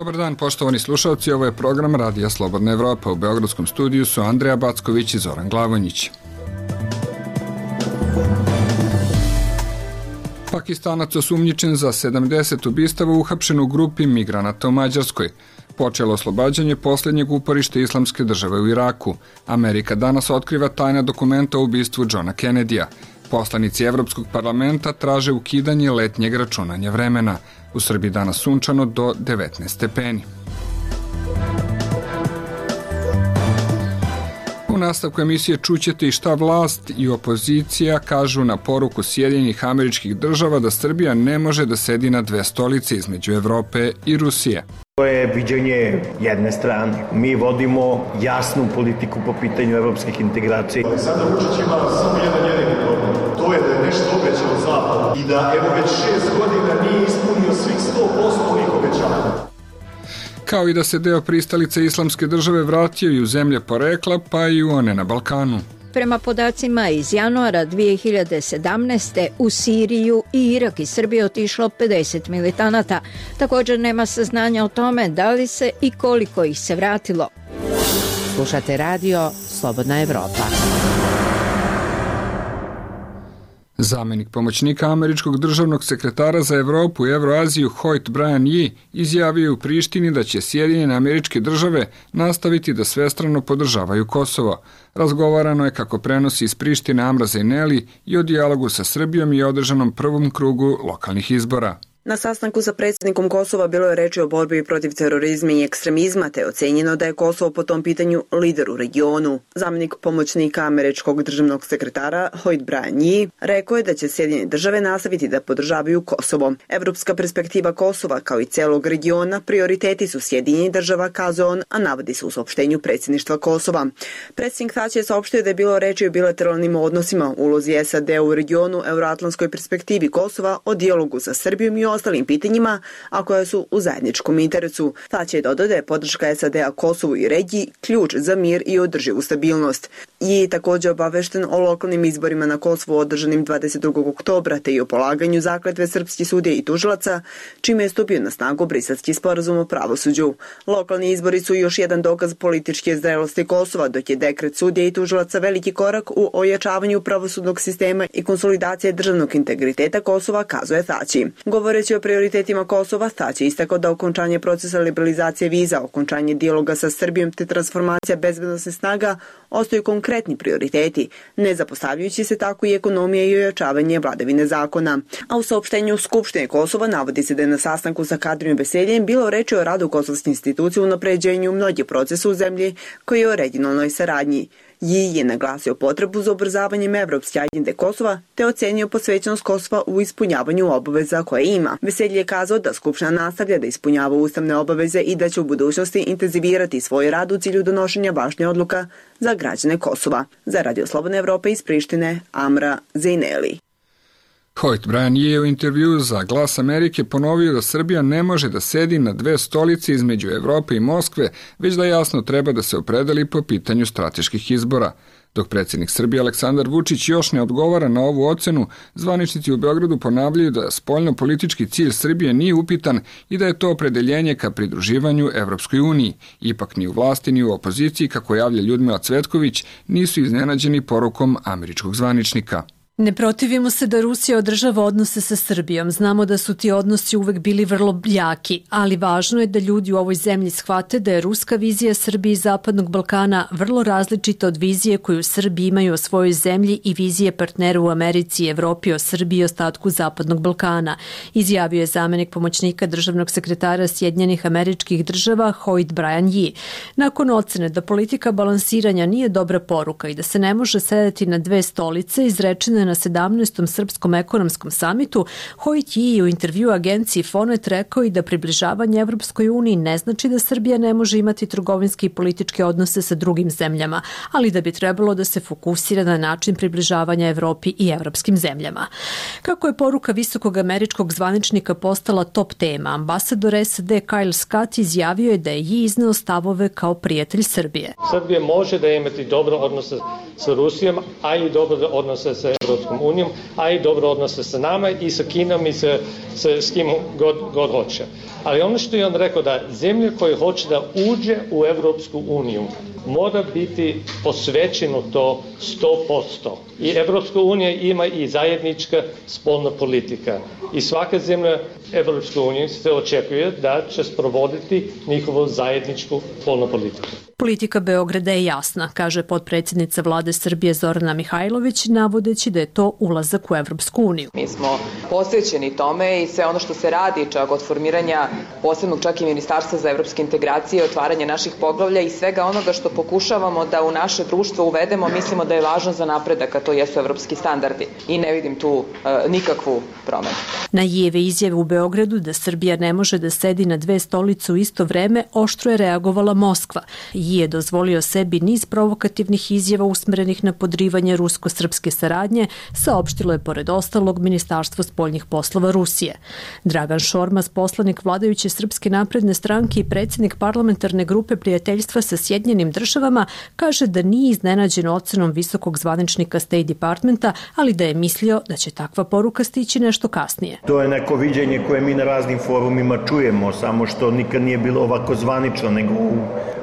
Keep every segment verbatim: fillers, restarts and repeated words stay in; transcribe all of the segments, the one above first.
Dobar dan, poštovani slušalci, ovo je program Radija Slobodna Evropa. U beogradskom studiju su Andreja Backović i Zoran Glavonjić. Pakistanac osumnjičen za sedamdeset ubistava uhapšen u grupi migranata u Mađarskoj. Počelo oslobađanje posljednjeg uporišta Islamske države u Iraku. Amerika danas otkriva tajna dokumenta o ubistvu Johna Kennedyja. Poslanici Evropskog parlamenta traže ukidanje letnjeg računanja vremena. U Srbiji danas sunčano do devetnaest stepeni. U nastavku emisije čućete i šta vlast i opozicija kažu na poruku Sjedinjenih Američkih Država da Srbija ne može da sedi na dve stolice između Evrope i Rusije. To je viđenje jedne strane. Mi vodimo jasnu politiku po pitanju evropskih integracija. Aleksandar Vučić ima samo jedan jedini problem. To je da je nešto obećao Zapadu i da evo već šest godina nije ispunio svih sto posto ovih obećanja. Kao i da se deo pristalice Islamske države vratio i u zemlje porekla, pa i u one na Balkanu. Prema podacima iz januara dve hiljade sedamnaeste. u Siriju i Irak i Srbiju otišlo pedeset militanata. Također nema saznanja o tome da li se i koliko ih se vratilo. Slušate radio Slobodna Evropa. Zamenik pomoćnika američkog državnog sekretara za Evropu i Evroaziju Hoyt Brian Yee izjavio u Prištini da će Sjedinjene Američke Države nastaviti da svestrano podržavaju Kosovo. Razgovarano je, kako prenosi iz Prištine Amra Zejneli, i o dijalogu sa Srbijom i održanom prvom krugu lokalnih izbora. Na sastanku sa predsjednikom Kosova bilo je reči o borbi protiv terorizma i ekstremizma, te ocenjeno da je Kosovo po tom pitanju lider u regionu. Zamenik pomoćnika američkog državnog sekretara Hoyt Brian Yee rekao je da će Sjedinjene države nastaviti da podržavaju Kosovo. Evropska perspektiva Kosova, kao i celog regiona, prioriteti su Sjedinjenih država, kazao on, a navodi se u saopštenju predsjedništva Kosova. Predsjednik Thaci je saopštio da je bilo reči o bilateralnim odnosima, ulozi S A D u regionu, euroatlantskoj perspektivi Kosova, o dijalogu sa Srbijom i ostalim pitanjima, a koje su u zajedničkom interesu. Thaci je dodao da je podrška S A D-a Kosovu i regiji ključ za mir i održivu stabilnost. I također obavešten o lokalnim izborima na Kosovu održanim dvadeset drugog oktobra, te i o polaganju zakletve srpskih sudija i tužilaca, čime je stupio na snagu Briselski sporazum o pravosuđu. Lokalni izbori su još jedan dokaz političke zrelosti Kosova, dok je dekret sudija i tužilaca veliki korak u ojačavanju pravosudnog sistema i konsolidacije državnog integriteta Kosova, kazuje Thaci. Govoreći o prioritetima Kosova, Thaci istakao da okončanje procesa liberalizacije viza, okončanje dijaloga sa Srbijom te transformacija bezbednosnih snaga ostaju konkretni prioriteti, ne zapostavljajući se tako i ekonomija i ojačavanje vladavine zakona. A u saopštenju Skupštine Kosova navodi se da je na sastanku sa Kadrijom Veseljem bilo reči o radu kosovske institucije u unapređenju mnogih procesa u zemlji koji je o regionalnoj saradnji. Yee je naglasio potrebu za ubrzavanjem evropske agende Kosova te ocenio posvećenost Kosova u ispunjavanju obaveza koje ima. Veselje je kazao da Skupština nastavlja da ispunjava ustavne obaveze i da će u budućnosti intenzivirati svoj rad u cilju donošenja važnih odluka za građane Kosova. Za Radio Slobodne Evrope iz Prištine, Amra Zejneli. Hoyt Brian je u intervju za Glas Amerike ponovio da Srbija ne može da sedi na dve stolice između Evrope i Moskve, već da jasno treba da se opredeli po pitanju strateških izbora. Dok predsjednik Srbije Aleksandar Vučić još ne odgovara na ovu ocenu, zvaničnici u Beogradu ponavljaju da spoljno-politički cilj Srbije nije upitan i da je to opredeljenje ka pridruživanju Evropskoj uniji. Ipak ni u vlasti ni u opoziciji, kako javlja Ljudmila Cvetković, nisu iznenađeni porukom američkog zvaničnika. Ne protivimo se da Rusija održava odnose sa Srbijom. Znamo da su ti odnosi uvek bili vrlo jaki, ali važno je da ljudi u ovoj zemlji shvate da je ruska vizija Srbije i Zapadnog Balkana vrlo različita od vizije koju Srbi imaju o svojoj zemlji i vizije partnera u Americi i Evropi o Srbiji i ostatku Zapadnog Balkana, izjavio je zamenik pomoćnika državnog sekretara Sjedinjenih Američkih Država Hoyt Brian Yee. Nakon ocene da politika balansiranja nije dobra poruka i da se ne može sedeti na dve stolice, izrečene na sedamnaestom srpskom ekonomskom samitu, Hoyt Yee je u intervju agenciji Fonet rekao i da približavanje Evropskoj uniji ne znači da Srbija ne može imati trgovinske i političke odnose sa drugim zemljama, ali da bi trebalo da se fokusira na način približavanja Evropi i evropskim zemljama. Kako je poruka visokog američkog zvaničnika postala top tema, ambasador S A D Kyle Scott izjavio je da je Yee izneo stavove kao prijatelj Srbije. Srbija može da imati dobre odnose sa Rusijom, a i dobre odnose sa Evropom. Evropskom unijom, a i dobro odnose sa nama i sa Kinom i sa, sa, s kim god, god hoće. Ali ono što je on rekao da zemlja koja hoće da uđe u Evropsku uniju mora biti posvećeno to sto posto. I Evropska unija ima i zajednička spoljna politika. I svaka zemlja Evropske unije se očekuje da će sprovoditi njihovu zajedničku spoljnu politiku. Politika Beograda je jasna, kaže potpredsjednica vlade Srbije Zorana Mihajlović, navodeći da je to ulazak u Evropsku uniju. Mi smo posvećeni tome i sve ono što se radi, čak od formiranja posebnog čak i ministarstva za evropske integracije, otvaranje naših poglavlja i svega onoga što pokušavamo da u naše društvo uvedemo, mislimo da je važno za napredak, a to jesu evropski standardi. I ne vidim tu e, nikakvu promenu. Na Jijeve izjave u Beogradu da Srbija ne može da sedi na dve stolice u isto vreme, oštro je reagovala Moskva. Ji je dozvolio sebi niz provokativnih izjava usmerenih na podrivanje rusko-srpske saradnje, saopštilo je pored ostalog Ministarstvo spoljnih poslova Rusije. Dragan Šormaz, poslanik vladajuće Srpske napredne stranke i predsjednik parlamentarne grupe prijateljstva sa Sjedinjenim državama, kaže da nije iznenađen ocenom visokog zvaničnika State Departmenta, ali da je mislio da će takva poruka stići nešto kasnije. To je neko viđenje koje mi na raznim forumima čujemo, samo što nikad nije bilo ovako zvanično, nego u,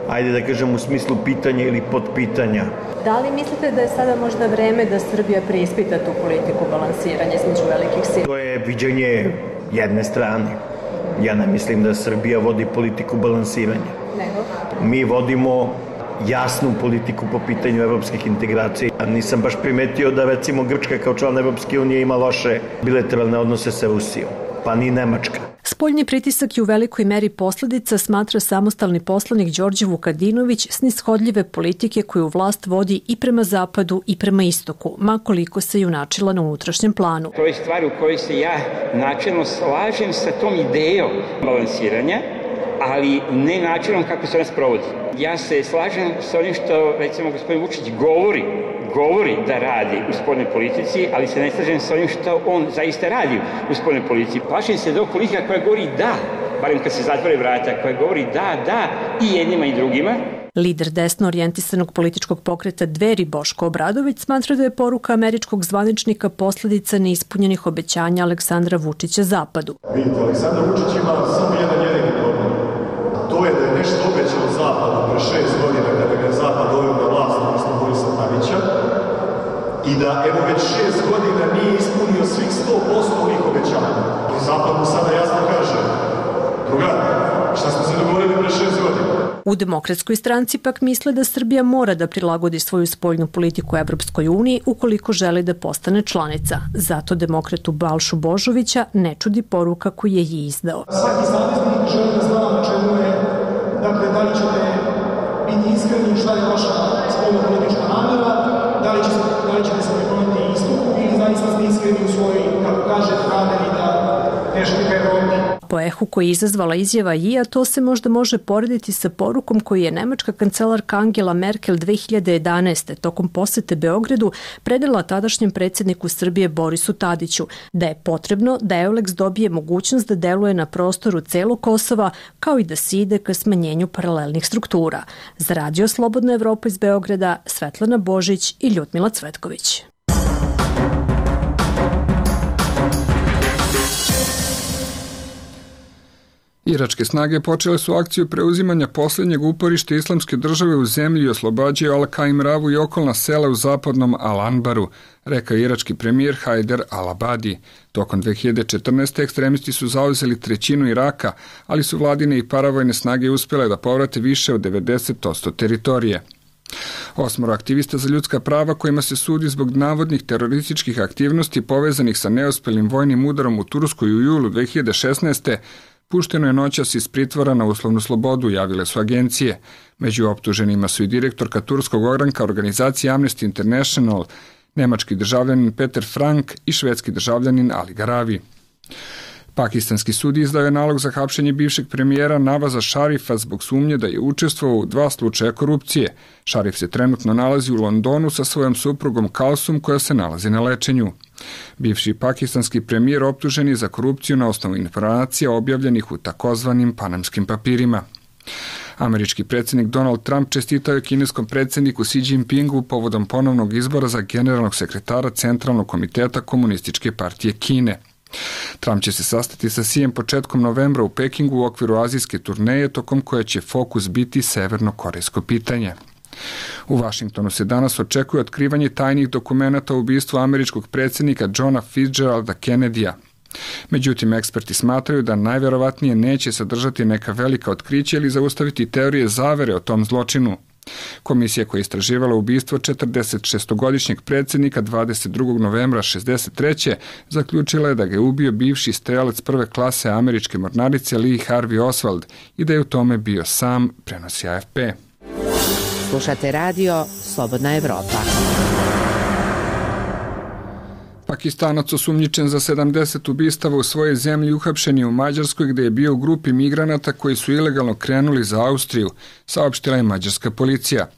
ajde da kažem, u smislu pitanja ili podpitanja. Da li mislite da je sada možda vreme da Srbija preispita tu politiku balansiranja između velikih sila? To je viđenje jedne strane. Ja ne mislim da Srbija vodi politiku balansiranja. Nego? Mi vodimo jasnu politiku po pitanju evropskih integracija. Nisam baš primetio da recimo Grčka kao član Evropske unije ima loše bilateralne odnose sa Rusijom, pa ni Nemačka. Spoljni pritisak je u velikoj meri posledica, smatra samostalni poslanik Đorđe Vukadinović, snishodljive politike koju vlast vodi i prema zapadu i prema istoku, makoliko se junačila na unutrašnjem planu. To je stvar u kojoj se ja načelno slažem sa tom idejom balansiranja, ali ne načinom kako se ona sprovodi. Ja se slažem sa onim što, recimo, gospodin Vučić govori, govori da radi u spoljnoj politici, ali se ne slažem sa onim što on zaista radi u spoljnoj politici. Plašim se da je politika koja govori da, barem kad se zatvore vrata, koja govori da, da i jednima i drugima. Lider desno orijentisanog političkog pokreta Dveri Boško Obradović smatra da je poruka američkog zvaničnika posledica neispunjenih obećanja Aleksandra Vučića Zapadu. Vidite, Aleksandar Vučić ima samo jedan jedini problem. To je da je nešto obećao Zapadu pre šest godina kada ga je Zapad doveo na vlast, odnosno Borisa Tadića, i da evo već šest godina nije ispunio svih sto posto ovih obećanja. I Zapad mu sada jasno kaže, drugar, šta smo se dogovorili pre šest godina? U Demokratskoj stranci pak misle da Srbija mora da prilagodi svoju spoljnu politiku Evropskoj uniji ukoliko želi da postane članica. Zato demokratu Balšu Božovića ne čudi poruka koju je i izdao. Svaki saveznik želi da zna na čemu je, dakle, da li ćete biti iskreni, šta je vaša spoljna politička namera, da li, će, da li ćete se prekloniti istoku ili zaista ste iskreni u svojoj, kako kaže, nameri da teški ka Evropi. Po ehu koji je izazvala izjava Jija, to se možda može porediti sa porukom koju je nemačka kancelarka Angela Merkel dve hiljade jedanaeste. tokom posete Beogradu predala tadašnjem predsjedniku Srbije Borisu Tadiću da je potrebno da Euleks dobije mogućnost da deluje na prostoru celog Kosova, kao i da se ide ka smanjenju paralelnih struktura. Za Radio Slobodna Evropa iz Beograda, Svetlana Božić i Ljudmila Cvetković. Iračke snage počele su akciju preuzimanja posljednjeg uporišta islamske države u zemlji i oslobađaju Al-Qaim Ravu i okolna sela u zapadnom Al-Anbaru, rekao irački premijer Hajder al-Abadi. Tokom dve hiljade četrnaeste. ekstremisti su zauzeli trećinu Iraka, ali su vladine i paravojne snage uspjele da povrate više od devedeset posto teritorije. Osmoro aktivista za ljudska prava kojima se sudi zbog navodnih terorističkih aktivnosti povezanih sa neuspelim vojnim udarom u Turskoj u julu dve hiljade šesnaeste. pušteno je noćas iz pritvora na uslovnu slobodu, javile su agencije. Među optuženima su i direktorka turskog ogranka organizacije Amnesty International, nemački državljanin Peter Frank i švedski državljanin Ali Garavi. Pakistanski sud izdao je nalog za hapšenje bivšeg premijera Navaza Šarifa zbog sumnje da je učestvovao u dva slučaja korupcije. Šarif se trenutno nalazi u Londonu sa svojom suprugom Kalsum koja se nalazi na lečenju. Bivši pakistanski premijer optužen je za korupciju na osnovu informacija objavljenih u takozvanim panamskim papirima. Američki predsjednik Donald Trump čestitao je kineskom predsjedniku Xi Jinpingu povodom ponovnog izbora za generalnog sekretara Centralnog komiteta Komunističke partije Kine. Trump će se sastati sa Xijem početkom novembra u Pekingu u okviru azijske turneje, tokom koje će fokus biti severno-korejsko pitanje. U Vašingtonu se danas očekuje otkrivanje tajnih dokumenata o ubistvu američkog predsjednika Johna Fitzgeralda Kennedyja. Međutim, eksperti smatraju da najvjerovatnije neće sadržati neka velika otkrića ili zaustaviti teorije zavere o tom zločinu. Komisija koja je istraživala ubistvo četrdesetšestogodišnjeg predsjednika dvadeset drugog novembra šezdeset treće zaključila je da ga je ubio bivši strelac prve klase američke mornarice Lee Harvey Oswald i da je u tome bio sam, prenosi A F P. Slušate radio Slobodna Evropa. Pakistanac osumnjičen za sedamdeset ubistava u svojoj zemlji uhapšen je u Mađarskoj gdje je bio u grupi migranata koji su ilegalno krenuli za Austriju, saopštila je mađarska policija.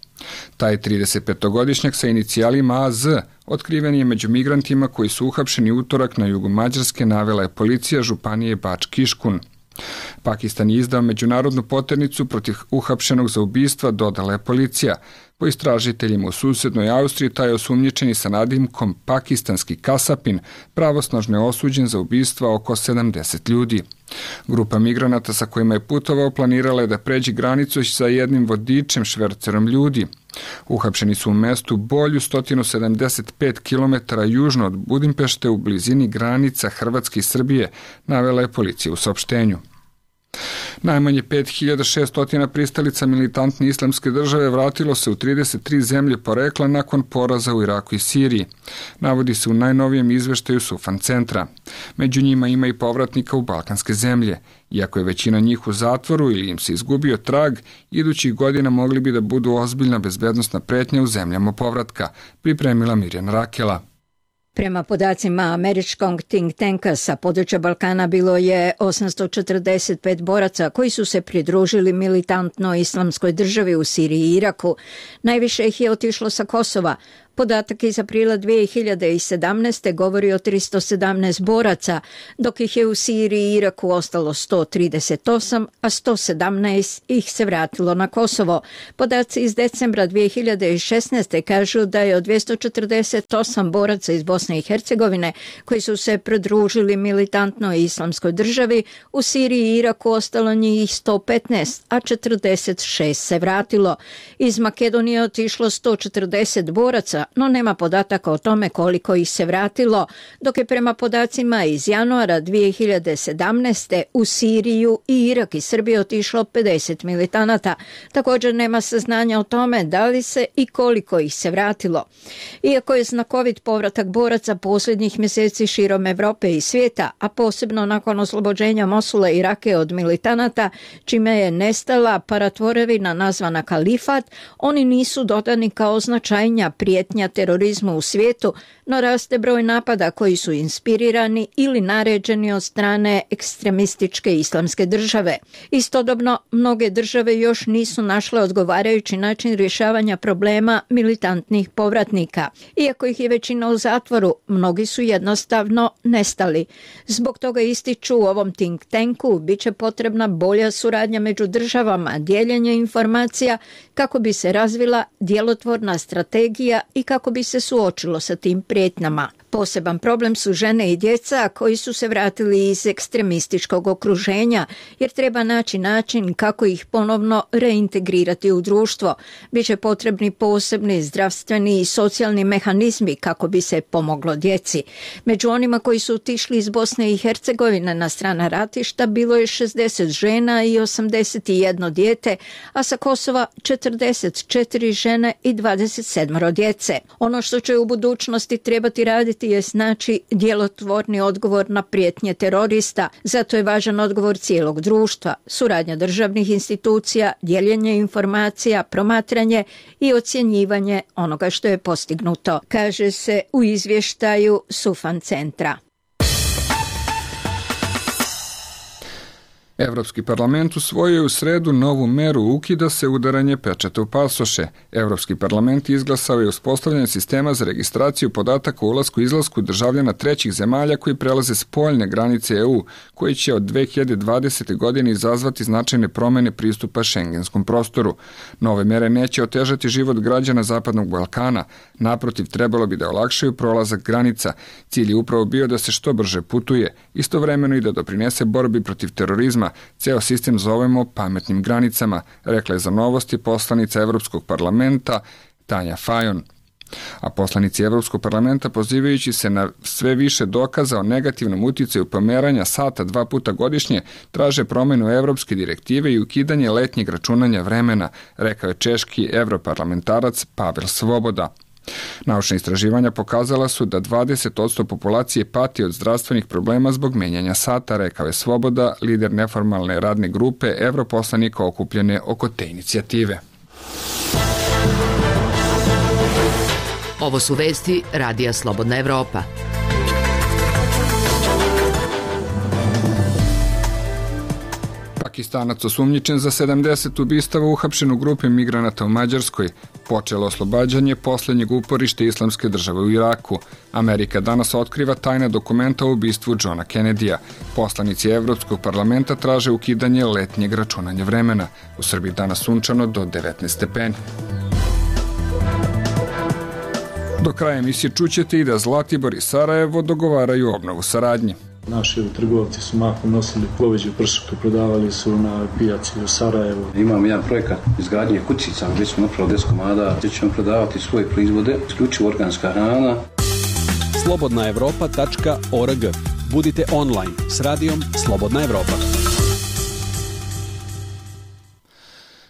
Taj tridesetpetogodišnjak sa inicijalima A Z otkriven je među migrantima koji su uhapšeni utorak na jugu Mađarske, navela je policija županije Bač-Kiškun. Pakistan je izdao međunarodnu poternicu protiv uhapšenog za ubistva, dodala je policija. Po istražiteljima u susednoj Austriji taj je osumnjičeni sa nadimkom pakistanski kasapin pravosnažno je osuđen za ubistva oko sedamdeset ljudi. Grupa migranata sa kojima je putovao planirala je da pređe granicu sa jednim vodičem švercerom ljudi. Uhapšeni su u mestu Bolju sto sedamdeset pet kilometara južno od Budimpešte u blizini granica Hrvatske i Srbije, navela je policija u saopštenju. Najmanje pet hiljada šesto pristalica militantne islamske države vratilo se u trideset tri zemlje porekla nakon poraza u Iraku i Siriji. Navodi se u najnovijem izveštaju Sufan centra. Među njima ima i povratnika u balkanske zemlje. Iako je većina njih u zatvoru ili im se izgubio trag, idućih godina mogli bi da budu ozbiljna bezbednosna pretnja u zemljama povratka, pripremila Mirjana Rakela. Prema podacima američkog think tanka sa područja Balkana bilo je osamsto četrdeset pet boraca koji su se pridružili militantnoj islamskoj državi u Siriji i Iraku. Najviše ih je otišlo sa Kosova. Podatak iz aprila dve hiljade sedamnaeste. govori o tristo sedamnaest boraca, dok ih je u Siriji i Iraku ostalo sto trideset osam, a sto sedamnaest ih se vratilo na Kosovo. Podaci iz decembra dve hiljade šesnaeste. kažu da je od dvjesto četrdeset osam boraca iz Bosne i Hercegovine koji su se pridružili militantnoj islamskoj državi, u Siriji i Iraku ostalo njih sto petnaest, a četrdeset šest se vratilo. Iz Makedonije je otišlo sto četrdeset boraca, no nema podataka o tome koliko ih se vratilo, dok je prema podacima iz januara dve hiljade sedamnaeste. u Siriju i Irak i Srbiju otišlo pedeset militanata. Također nema saznanja o tome da li se i koliko ih se vratilo. Iako je znakovit povratak boraca posljednjih mjeseci širom Evrope i svijeta, a posebno nakon oslobođenja Mosula i Rake od militanata, čime je nestala paratvorevina nazvana kalifat, oni nisu dodani kao značajnija prijetnja terorizmu u svijetu, no raste broj napada koji su inspirirani ili naređeni od strane ekstremističke islamske države. Istodobno, mnoge države još nisu našle odgovarajući način rješavanja problema militantnih povratnika. Iako ih je većina u zatvoru, mnogi su jednostavno nestali. Zbog toga ističu u ovom think tanku bit će potrebna bolja suradnja među državama, dijeljenje informacija kako bi se razvila djelotvorna strategija i kako bi se suočilo sa tim prijetnjama. Poseban problem su žene i djeca koji su se vratili iz ekstremističkog okruženja, jer treba naći način kako ih ponovno reintegrirati u društvo. Biće potrebni posebni zdravstveni i socijalni mehanizmi kako bi se pomoglo djeci. Među onima koji su otišli iz Bosne i Hercegovine na strana ratišta bilo je šezdeset žena i osamdeset jedno dijete, a sa Kosova četrdeset četiri žene i dvadeset sedam djece. Ono što će u budućnosti trebati raditi je znači djelotvorni odgovor na prijetnje terorista. Zato je važan odgovor cijelog društva, suradnja državnih institucija, dijeljenje informacija, promatranje i ocjenjivanje onoga što je postignuto, kaže se u izvještaju. izvještaju, Sufan centra. Evropski parlament usvojio je u sredu novu meru ukida se udaranje pečata u pasoše. Evropski parlament izglasao je uspostavljanje sistema za registraciju podataka o ulasku i izlasku državljana trećih zemalja koji prelaze spoljne granice E U, koji će od dve hiljade dvadesete. godine izazvati značajne promene pristupa šengenskom prostoru. Nove mere neće otežati život građana Zapadnog Balkana, naprotiv trebalo bi da olakšaju prolazak granica. Cilj je upravo bio da se što brže putuje, istovremeno i da doprinese borbi protiv terorizma. Ceo sistem zovemo pametnim granicama, rekla je za Novosti poslanica Evropskog parlamenta Tanja Fajon. A poslanici Evropskog parlamenta, pozivajući se na sve više dokaza o negativnom uticaju pomeranja sata dva puta godišnje, traže promenu evropske direktive i ukidanje letnjeg računanja vremena, rekao je češki evroparlamentarac Pavel Svoboda. Naučna istraživanja pokazala su da dvadeset posto populacije pati od zdravstvenih problema zbog menjanja sata, rekao je Svoboda, lider neformalne radne grupe evroposlanika okupljene oko te inicijative. Ovo su vesti Radija Slobodna Evropa. Pakistanac osumnjičen za sedamdeset ubistava uhapšen u grupi migranata u Mađarskoj. Počelo oslobađanje posljednjeg uporište Islamske države u Iraku. Amerika danas otkriva tajna dokumenta o ubistvu Johna Kennedya. Poslanici Evropskog parlamenta traže ukidanje letnjeg računanja vremena. U Srbiji danas sunčano do devetnaest stepeni. Do kraja emisije čućete i da Zlatibor i Sarajevo dogovaraju obnovu saradnje. Naši trgovci su mahom nosili poveđu pršutu, prodavali su na pijaci u Sarajevu. Imamo jedan projekat izgradnje kućica gdje smo napravili deset komada, gdje ćemo prodavati svoje proizvode, isključivo organska hrana. slobodna evropa tačka org. Budite online s radijom Slobodna Evropa.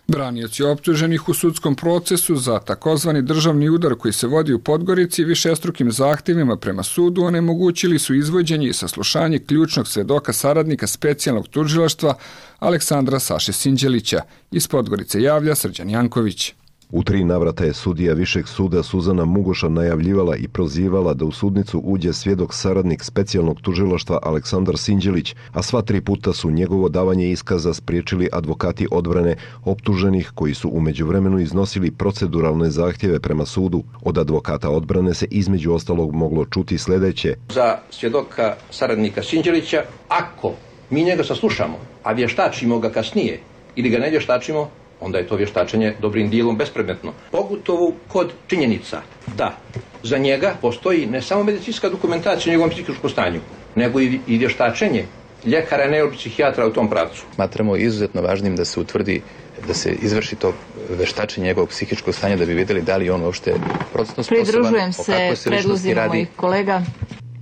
Branioci optuženih u sudskom procesu za takozvani državni udar koji se vodi u Podgorici višestrukim zahtjevima prema sudu onemogućili su izvođenje i saslušanje ključnog svedoka saradnika specijalnog tužilaštva Aleksandra Saše Sinđelića. Iz Podgorice javlja Srđan Janković. U tri navrata je sudija Višeg suda Suzana Mugoša najavljivala i prozivala da u sudnicu uđe svjedok saradnik specijalnog tužilaštva Aleksandar Sinđelić, a sva tri puta su njegovo davanje iskaza spriječili advokati odbrane optuženih koji su u međuvremenu iznosili proceduralne zahtjeve prema sudu. Od advokata odbrane se između ostalog moglo čuti sljedeće. Za svjedoka saradnika Sinđelića, ako mi njega saslušamo, a vještačimo ga kasnije ili ga ne vještačimo, onda je to vještačenje dobrim dijelom bespredmetno. Pogotovo kod činjenica da za njega postoji ne samo medicinska dokumentacija o njegovom psihičkom stanju, nego i vještačenje ljekara, neuropsihijatra u tom pravcu. Smatramo izuzetno važnim da se utvrdi, da se izvrši to vještačenje njegovog psihičkog stanja da bi vidjeli da li on uopšte procesno sposoban. Pridružujem se predlozima mojih kolega.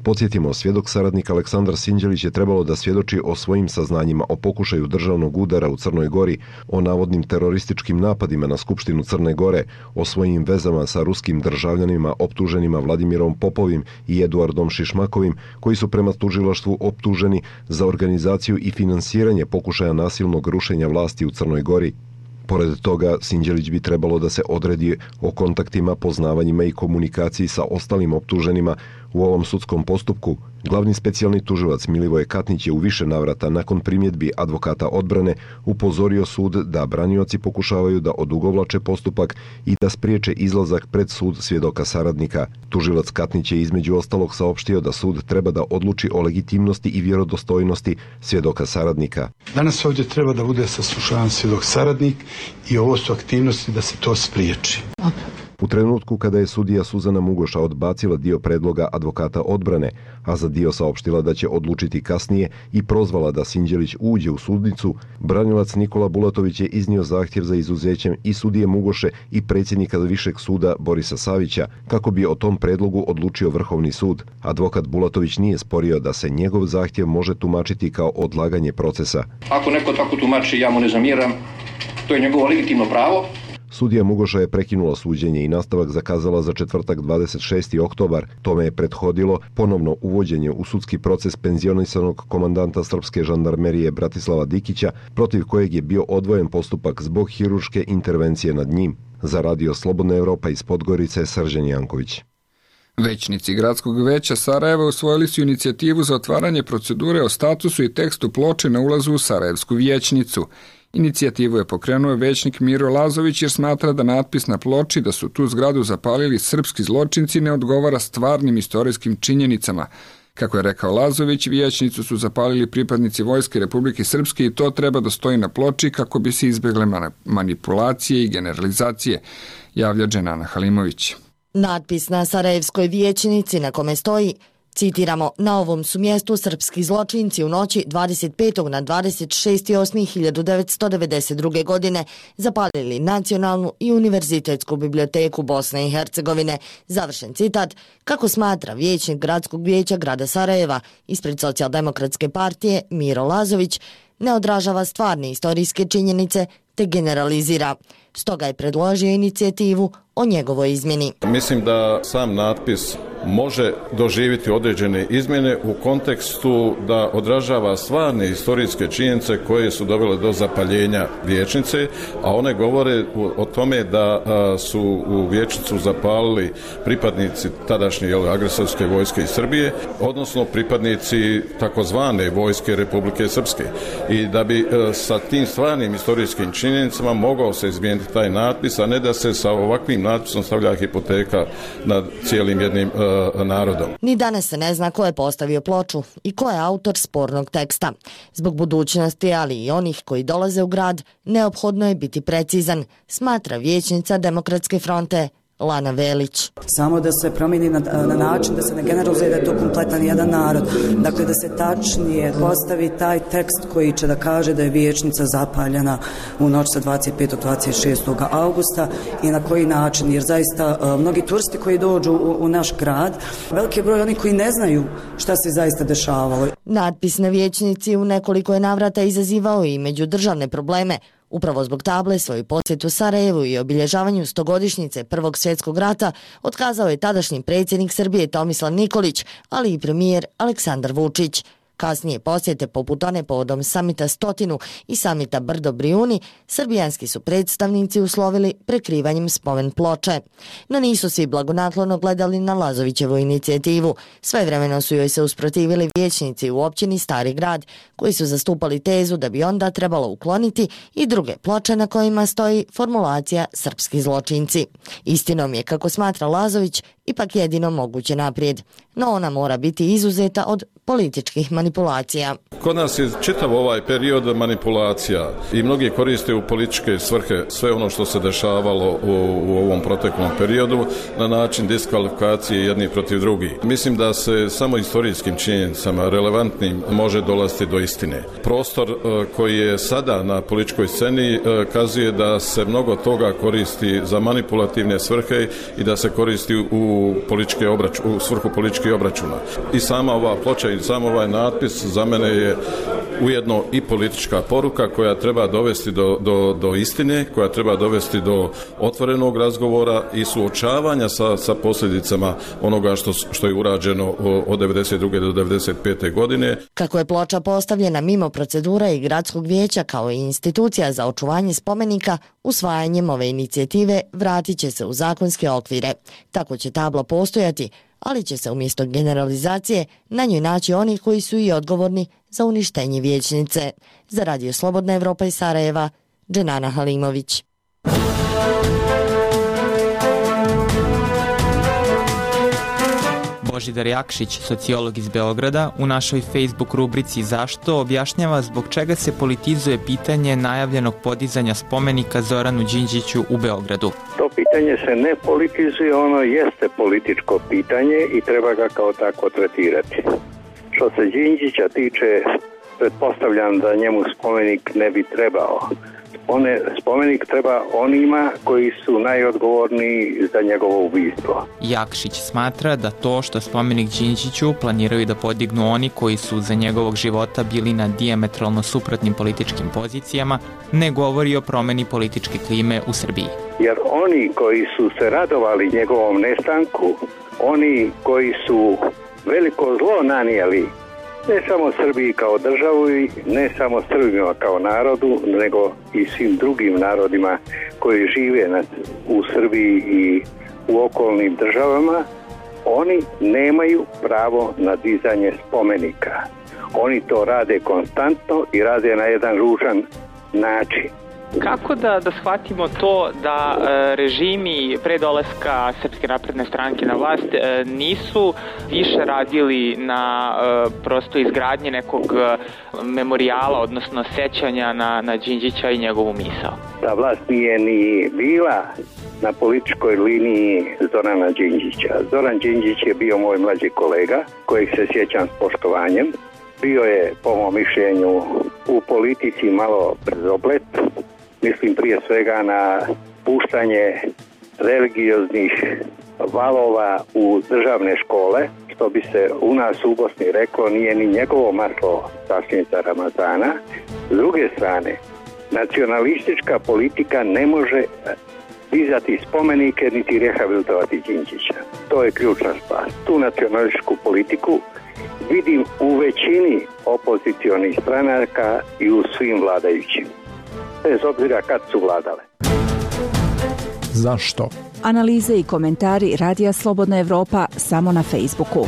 Podsjetimo, svjedok saradnik Aleksandar Sinđelić je trebalo da svjedoči o svojim saznanjima o pokušaju državnog udara u Crnoj Gori, o navodnim terorističkim napadima na Skupštinu Crne Gore, o svojim vezama sa ruskim državljanima optuženima Vladimirom Popovim i Eduardom Šišmakovim, koji su prema tužilaštvu optuženi za organizaciju i finansiranje pokušaja nasilnog rušenja vlasti u Crnoj Gori. Pored toga, Sinđelić bi trebalo da se odredi o kontaktima, poznavanjima i komunikaciji sa ostalim optuženima u ovom sudskom postupku. Glavni specijalni tužilac Milivoje Katnić je u više navrata nakon primjedbi advokata odbrane upozorio sud da branioci pokušavaju da odugovlače postupak i da spriječe izlazak pred sud svjedoka saradnika. Tužilac Katnić je između ostalog saopštio da sud treba da odluči o legitimnosti i vjerodostojnosti svjedoka saradnika. Danas ovdje treba da bude saslušavan svjedok saradnik i ovo su aktivnosti da se to spriječi. U trenutku kada je sudija Suzana Mugoša odbacila dio predloga advokata odbrane, a za dio saopštila da će odlučiti kasnije i prozvala da Sinđelić uđe u sudnicu, branilac Nikola Bulatović je iznio zahtjev za izuzećem i sudije Mugoše i predsjednika Višeg suda Borisa Savića, kako bi o tom predlogu odlučio Vrhovni sud. Advokat Bulatović nije sporio da se njegov zahtjev može tumačiti kao odlaganje procesa. Ako neko tako tumači, ja mu ne zamjeram, to je njegovo legitimno pravo. Sudija Mugoša je prekinula suđenje i nastavak zakazala za četvrtak dvadeset šesti oktobar. Tome je prethodilo ponovno uvođenje u sudski proces penzionisanog komandanta srpske žandarmerije Bratislava Dikića, protiv kojeg je bio odvojen postupak zbog hirurške intervencije nad njim. Za radio Slobodna Evropa iz Podgorice, Srđan Janković. Većnici Gradskog veća Sarajeva usvojili su inicijativu za otvaranje procedure o statusu i tekstu ploče na ulazu u Sarajevsku vijećnicu. Inicijativu je pokrenuo većnik Miro Lazović jer smatra da natpis na ploči da su tu zgradu zapalili srpski zločinci ne odgovara stvarnim istorijskim činjenicama. Kako je rekao Lazović, vijećnicu su zapalili pripadnici Vojske Republike Srpske i to treba da stoji na ploči kako bi se izbegle manipulacije i generalizacije, javlja Dženana Halimović. Natpis na Sarajevskoj vijećnici na kome stoji, citiramo, na ovom su mjestu srpski zločinci u noći dvadeset petog na dvadeset šesti osmi hiljadu devetsto devedeset druge. godine zapalili Nacionalnu i Univerzitetsku biblioteku Bosne i Hercegovine. Završen citat, kako smatra vijećnik Gradskog vijeća grada Sarajeva ispred Socijaldemokratske partije Miro Lazović, ne odražava stvarne istorijske činjenice te generalizira. Stoga je predložio inicijativu o njegovoj izmjeni. Mislim da sam natpis može doživjeti određene izmjene u kontekstu da odražava stvarne historijske činjenice koje su dovele do zapaljenja vijećnice, a one govore o tome da su u vijećnicu zapalili pripadnici tadašnje jel, agresorske vojske iz Srbije, odnosno pripadnici takozvane vojske Republike Srpske. I da bi sa tim stvarnim historijskim činjenicama mogao se izmijeniti taj natpis, a ne da se sa ovakvim natpisom stavlja hipoteka nad cijelim jednim narodom. Ni danas se ne zna ko je postavio ploču i ko je autor spornog teksta. Zbog budućnosti, ali i onih koji dolaze u grad, neophodno je biti precizan, smatra vijećnica Demokratske fronte Lana Velić. Samo da se promijeni na, na način da se ne generalizuje da je to kompletan jedan narod. Dakle, da se tačnije postavi taj tekst koji će da kaže da je vijećnica zapaljena u noć sa dvadeset petog na dvadeset šestog augusta i na koji način, jer zaista mnogi turisti koji dođu u, u naš grad, veliki broj oni koji ne znaju šta se zaista dešavalo. Natpis na vijećnici u nekoliko je navrata izazivao i međudržavne probleme. Upravo zbog table svoju posjetu Sarajevu i obilježavanju stogodišnjice Prvog svjetskog rata otkazao je tadašnji predsjednik Srbije Tomislav Nikolić, ali i premijer Aleksandar Vučić. Kasnije posjete poput one povodom samita Stotinu i samita Brdo Brijuni, srbijanski su predstavnici uslovili prekrivanjem spomen ploče. No nisu svi blagonaklono gledali na Lazovićevu inicijativu. Svevremeno su joj se usprotivili vijećnici u općini Stari grad, koji su zastupali tezu da bi onda trebalo ukloniti i druge ploče na kojima stoji formulacija srpski zločinci. Istinom je, kako smatra Lazović, ipak jedino moguće naprijed, no ona mora biti izuzeta od političkih manipulacija. Kod nas je čitav ovaj period manipulacija i mnogi koriste u političke svrhe sve ono što se dešavalo u, u ovom proteklom periodu na način diskvalifikacije jednih protiv drugih. Mislim da se samo istorijskim činjenicama relevantnim može dolaziti do istine. Prostor koji je sada na političkoj sceni kazuje da se mnogo toga koristi za manipulativne svrhe i da se koristi u, političke obrač, u svrhu političkih obračuna. I sama ova ploča i sam ovaj natpis za mene je ujedno i politička poruka koja treba dovesti do, do, do istine, koja treba dovesti do otvorenog razgovora i suočavanja sa, sa posljedicama onoga što, što je urađeno od devedeset druge do devedeset pete. godine. Kako je ploča postavljena mimo procedura i Gradskog vijeća kao i institucija za očuvanje spomenika, usvajanjem ove inicijative vratit će se u zakonske okvire. Tako će tabla postojati, ali će se umjesto generalizacije na njoj naći oni koji su i odgovorni za uništenje vijećnice. Za Radio Slobodna Evropa iz Sarajeva, Dženana Halimović. Božidar Jakšić, sociolog iz Beograda, u našoj Facebook rubrici Zašto objašnjava zbog čega se politizuje pitanje najavljenog podizanja spomenika Zoranu Đinđiću u Beogradu. To pitanje se ne politizuje, ono jeste političko pitanje i treba ga kao tako tretirati. Što se Đinđića tiče, pretpostavljam da njemu spomenik ne bi trebao. One, spomenik treba onima koji su najodgovorniji za njegovo ubistvo. Jakšić smatra da to što spomenik Đinđiću planiraju da podignu oni koji su za njegovog života bili na dijametralno suprotnim političkim pozicijama ne govori o promeni političke klime u Srbiji. Jer oni koji su se radovali njegovom nestanku, oni koji su veliko zlo nanijeli ne samo Srbiji kao državu i ne samo Srbima kao narodu, nego i svim drugim narodima koji žive na, u Srbiji i u okolnim državama, Oni nemaju pravo na dizanje spomenika. Oni to rade konstantno i rade na jedan ružan način. Kako da, da shvatimo to da e, režimi pre dolaska Srpske napredne stranke na vlast e, nisu više radili na e, prosto izgradnje nekog memorijala, odnosno sećanja na, na Đinđića i njegovu misao? Ta vlast nije ni bila na političkoj liniji Zorana Đinđića. Zoran Đinđić je bio moj mlađi kolega, kojeg se sjećam s poštovanjem. Bio je, po mom mišljenju, u politici malo brzoplet. Mislim prije svega na puštanje religioznih valova u državne škole, što bi se u nas u Bosni reklo, nije ni njegovo maslo sasvimca Ramazana. S druge strane, nacionalistička politika ne može dizati spomenike niti rehabilitovati Đinđića. To je ključna stvar. Tu nacionalističku politiku vidim u većini opozicionih stranaka i u svim vladajućim, bez obzira kad su vladale. Zašto? Analize i komentari Radija Slobodna Evropa samo na Facebooku.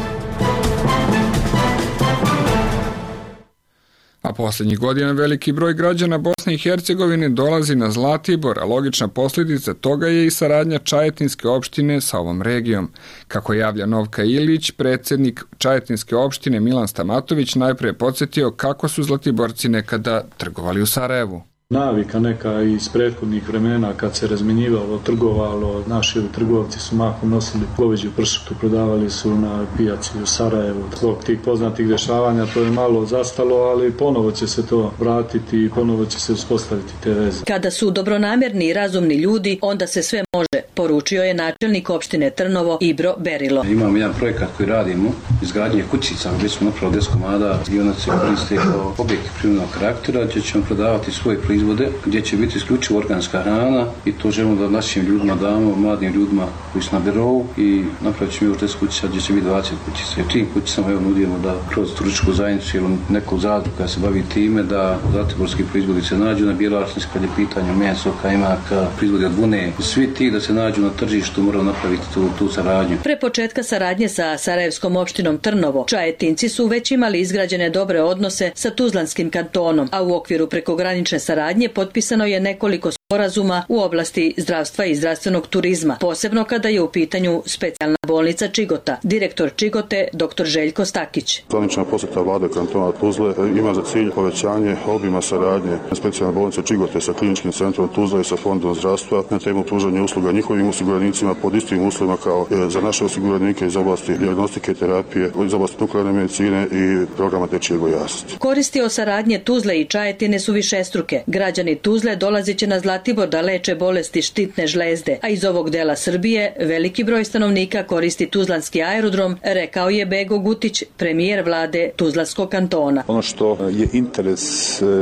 A posljednjih godina veliki broj građana Bosne i Hercegovine dolazi na Zlatibor, a logična posljedica toga je i saradnja Čajetinske opštine sa ovom regijom. Kako javlja Novka Ilić, predsjednik Čajetinske opštine Milan Stamatović najprije podsjetio kako su Zlatiborci nekada trgovali u Sarajevu. Navika neka iz prethodnih vremena kad se razmenjivalo, trgovalo, naši trgovci su mahom nosili goveđu pršutu, prodavali su na pijaci u Sarajevu. Zbog tih poznatih dešavanja to je malo zastalo, ali ponovo će se to vratiti i ponovo će se uspostaviti te veze. Kada su dobronamerni i razumni ljudi, onda se sve može, poručio je načelnik opštine Trnovo Ibro Berilo. Imamo jedan projekat koji radimo, izgradnje kućica, gdje smo napravili deset komada i ona se koriste kao objekti prirodnog karaktera, gdje ćemo prodavati svoje proizvode, gdje će biti isključivo organska hrana i to želimo da našim ljudima damo, mladim ljudima koji su na birovu i napravit ćemo još deset kućica gdje će biti dvadeset kućica. I u tim kućicama evo nudimo da kroz turističku zajednicu ili neku zadrugu koja se bavi time da zlatiborski proizvodi se nađu na Bjelašnici kad je pitanje meso, kajmaka, proizvodi od vune. Svi ti da se nađu na tržištu moraju napraviti tu, tu saradnju. Pre početka saradnje sa Sarajevskom opštinom Trnovo, Čajetinci su već imali izgrađene dobre odnose sa Tuzlanskim kantonom, a u okviru prekogranične saradnje potpisano je nekoliko sporazuma u oblasti zdravstva i zdravstvenog turizma, posebno kada je u pitanju specijalna bolnica Čigota. Direktor Čigote, dr Željko Stakić. Zvanična posjeta vlade kantona Tuzle ima za cilj povećanje obima saradnje specijalne bolnice Čigote sa kliničkim centrom Tuzla i sa fondom zdravstva na temu pružanja usluga njihovim osiguranicima pod istim uslovima kao za naše osiguranike iz oblasti dijagnostike, terapije, iz oblasti nuklearne medicine i programa dečije gojaznosti. Koristi o saradnje Tuzle i Čajetine su višestruke. Građani Tuzle dolaziće na Zlatibor da leče bolesti štitne žlezde, a iz ovog dela Srbije veliki broj stanovnika koristi Tuzlanski aerodrom, rekao je Bego Gutić, premijer vlade Tuzlanskog kantona. Ono što je interes,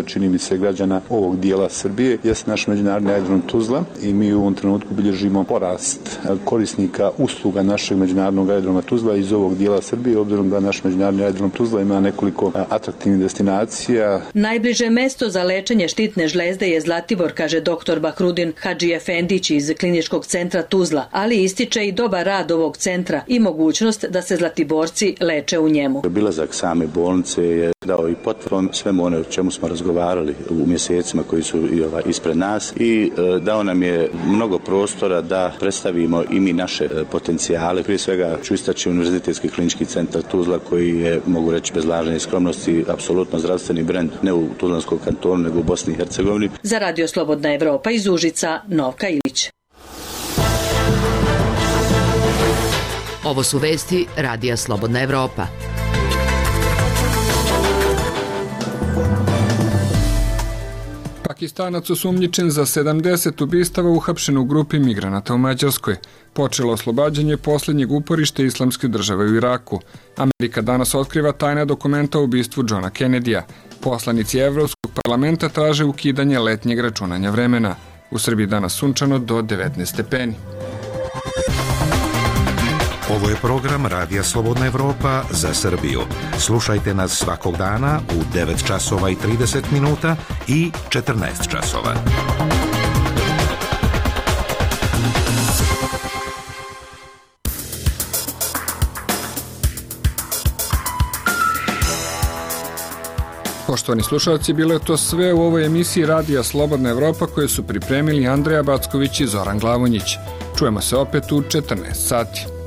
čini mi se, građana ovog dijela Srbije jeste naš međunarodni aerodrom Tuzla i mi u ovom trenutku bilježimo porast korisnika usluga našeg međunarodnog aerodroma Tuzla iz ovog dijela Srbije, obzirom da naš međunarodni aerodrom Tuzla ima nekoliko atraktivnih destinacija. Najbliže mesto za lečenje štitne žlezde je Zlatibor, kaže doktor Bahrudin Hadži Efendić iz kliničkog centra Tuzla, ali ističe i dobar rad ovog centra i mogućnost da se Zlatiborci leče u njemu. Obilazak same bolnice je dao i potvrdu svemu ono o čemu smo razgovarali u mjesecima koji su i ovaj ispred nas i e, dao nam je mnogo prostora da predstavimo i mi naše e, potencijale. Prije svega ću istaći Univerzitetski klinički centar Tuzla koji je, mogu reći bez lažne skromnosti, apsolutno zdravstveni brend ne u Tuzlanskom kantonu nego u Bosni i Hercegovini. Za Radio Slobodna Evropa iz Užica, Novka Ilić. Ovo su vesti Radija Slobodna Evropa. Pakistanac osumnjičen za sedamdeset ubistava uhapšen u grupi migranata u Mađarskoj. Počelo oslobađanje posljednjeg uporišta Islamske države u Iraku. Amerika danas otkriva tajna dokumenta o ubistvu Johna Kennedyja. Poslanici Evropskog parlamenta traže ukidanje letnjeg računanja vremena. U Srbiji danas sunčano do devetnaest stepeni. Ovo je program Radija Slobodna Evropa za Srbiju. Slušajte nas svakog dana u devet časova i trideset minuta i četrnaest časova. Poštovani slušalci, bilo je to sve u ovoj emisiji Radija Slobodna Evropa koje su pripremili Andreja Backović i Zoran Glavonjić. Čujemo se opet u četrnaest sati.